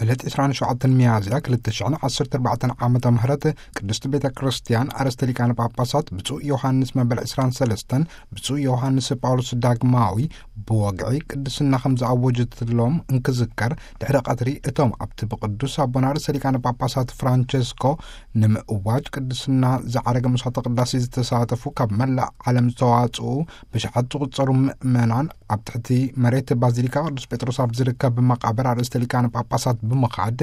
ዕለት ዕስራን ሸውዓተን ሚያዝያ ክልተ ሽሕን ዓሰርተ ኣርባዕተን ዓመተ ምህረት ቅድስቲ ቤተ ክርስቲያን ኣርእስተ ሊቃነ ጳጳሳት ብፁዕ ዮሃንስ መበል ዕስራን ሰለስተን፣ ብፁዕ ዮሃንስ ጳውሎስ ዳግማዊ ብወግዒ ቅድስና ከም ዝኣወጀትሎም እንክዝከር፣ ድሕሪ ቀትሪ እቶም ኣብቲ ብቅዱስ ኣቦና ርእሰ ሊቃነ ጳጳሳት ፍራንቸስኮ ንምእዋጅ ቅድስና ዝዓረገ መስዋዕተ ቅዳሴ ዝተሳተፉ ካብ መላእ ዓለም ዝተዋጽኡ ብሽሓት ዝቑጸሩ ምእመናን ኣብ ትሕቲ መሬት ባዚሊካ ቅዱስ ጴጥሮስ ኣብ ዝርከብ መቓብር ኣርእስተ ሊቃነ ጳጳሳት ብምኻድ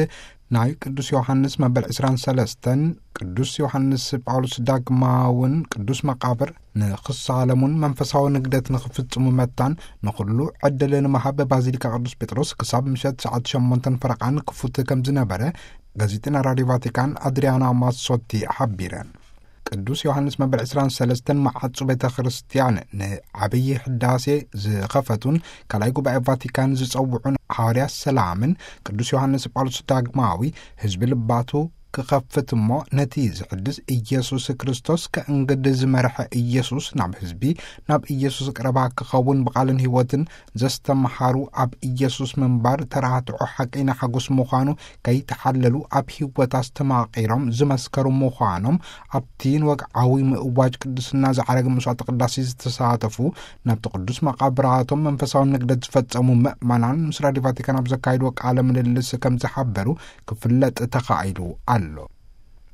ናይ ቅዱስ ዮሃንስ መበል ዕስራን ሰለስተን ቅዱስ ዮሃንስ ጳውሎስ ዳግማውን ቅዱስ መቓብር ንኽሳለሙን መንፈሳዊ ንግደት ንኽፍጽሙ መታን ንኹሉ ዕድል ንምሃብ ባዚሊካ ቅዱስ ጴጥሮስ ክሳብ ምሸት ሰዓት ሸሞንተን ፈረቓን ክፉት ከም ዝነበረ ጋዜጠኛ ራዲዮ ቫቲካን ኣድሪያና ማሶቲ ሓቢረን። ቅዱስ ዮሃንስ መበል ዕስራን ሰለስተን መዓጹ ቤተ ክርስቲያን ንዓብዪ ሕዳሴ ዝኸፈቱን ካልኣይ ጉባኤ ቫቲካን ዝጸውዑን ሓዋርያ ሰላምን ቅዱስ ዮሃንስ ጳውሎስ ዳግማዊ ህዝቢ ልባቱ ክኸፍት እሞ ነቲ ዝሕድስ ኢየሱስ ክርስቶስ ከእንግድ ዝመርሐ ኢየሱስ ናብ ህዝቢ ናብ ኢየሱስ ቅረባ ክኸውን ብቓልን ህይወትን ዘስተምሃሩ ኣብ ኢየሱስ ምንባር ተራትዖ ሓቀይና ሓጎስ ምዃኑ ከይተሓለሉ ኣብ ህይወት ኣስተማቒሮም ዝመስከሩ ምዃኖም ኣብቲ ንወግዓዊ ምእዋጅ ቅድስና ዝዓረገ መስዋዕተ ቅዳሴ ዝተሳተፉ ናብቲ ቅዱስ መቓብራቶም መንፈሳዊ ንግደት ዝፈጸሙ ምእመናን ምስ ራዲዮ ቫቲካን ኣብ ዘካየድዎ ቃለ ምልልስ ከም ዝሓበሩ ክፍለጥ ተኻኢሉ ኣሎ።